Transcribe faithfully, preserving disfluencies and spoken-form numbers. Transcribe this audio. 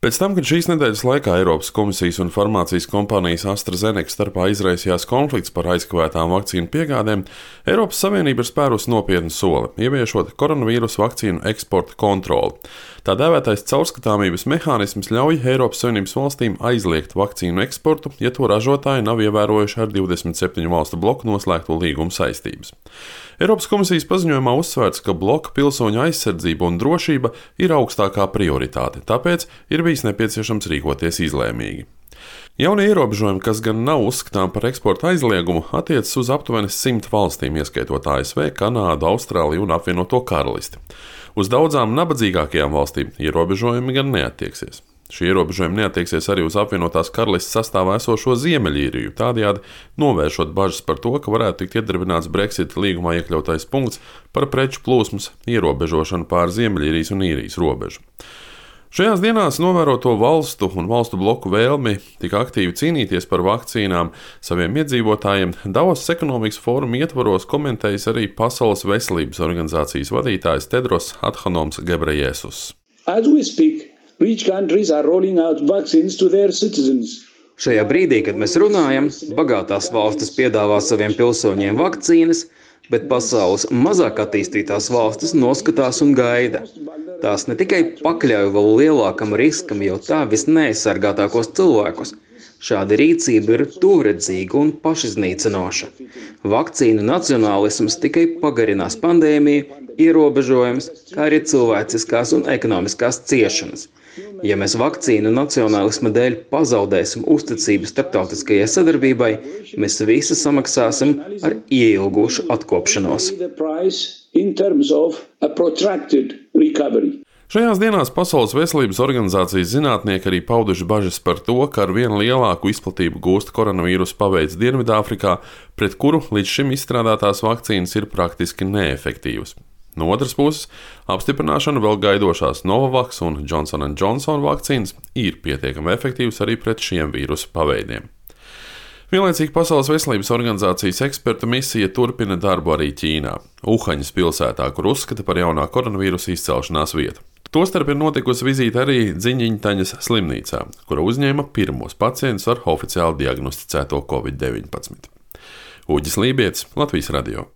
Pēc tam, kad šīs nedēļas laikā Eiropas komisijas un farmācijas kompānijas AstraZeneca starpā izraisījās konflikts par aizkavētām vakcīnu piegādēm, Eiropas Savienība ir spērusi nopietnu soli, ieviešot koronavīrusa vakcīnu eksporta kontroli. Tā dēvētais caurskatāmības mehānisms ļauj Eiropas Savienības valstīm aizliegt vakcīnu eksportu, ja to ražotāji nav ievērojuši ar divdesmit septiņu valstu bloku noslēgto līgumu saistības. Eiropas komisijas paziņojumā uzsvērts, ka bloka pilsoņu aizsardzība un drošība ir augstākā prioritāte, tāpēc ir bijis nepieciešams rīkoties izlēmīgi. Jaunie ierobežojumi, kas gan nav uzskatām par eksporta aizliegumu, attiecas uz aptuveni simt valstīm, ieskaitot A S V, Kanādu, Austrāliju un apvienoto karalisti. Uz daudzām nabadzīgākajām valstīm ierobežojumi gan neattieksies. Šie ierobežojumi neattieksies arī uz apvienotās karalistes sastāvā esošo Ziemeļīriju, tādējādi novēršot bažas par to, ka varētu tikt iedarbināts Brexit līgumā iekļautais punkts par preču plūsmas ierobežošanu pār Ziemeļīrijas un Īrijas robežu. Šajās dienās novēroto valstu un valstu bloku vēlmi tik aktīvi cīnīties par vakcīnām saviem iedzīvotājiem Davosas ekonomikas fóruma ietvaros komentējis arī Pasaules veselības organizācijas vadītājs Tedros Adhanoms Ghebreyesus. Rich countries are rolling out vaccines to their citizens. Šajā brīdī, kad mēs runājam, bagātās valstis piedāvā saviem pilsoņiem vakcīnas, bet pasaules mazāk attīstītās valstis noskatās un gaida. Tās ne tikai pakļauj vēl lielākam riskam jau tā visneaizsargātākos cilvēkus. Šāda rīcība ir tuvredzīga un pašiznīcinoša. Vakcīnu nacionālisms tikai pagarinās pandēmiju, ierobežojums, kā arī cilvēciskās un ekonomiskās ciešanas. Ja mēs vakcīnu nacionālisma dēļ pazaudēsim uzticību starptautiskajai sadarbībai, mēs visi samaksāsim ar ieilgušu atkopšanos. Šajās dienās Pasaules veselības organizācijas zinātnieki arī pauduši bažas par to, ka ar vien lielāku izplatību gūst koronavīrusa paveids Dienvidāfrikā, pret kuru līdz šim izstrādātās vakcīnas ir praktiski neefektīvas. No otras puses, apstiprināšanu vēl gaidošās Novavax un Johnson and Johnson vakcīnas ir pietiekami efektīvas arī pret šiem vīrusu paveidiem. Vienlaicīgi Pasaules veselības organizācijas ekspertu misija turpina darbu arī Ķīnā, Uhaņas pilsētā, kur uzskata par jaunā koronavīrusa izcelšanās vietu. Tostarp ir notikusi vizīte arī Dziņiņtaņas slimnīcā, kura uzņēma pirmos pacientus ar oficiāli diagnosticēto covid deviņpadsmit. Uģis Lībietis, Latvijas radio.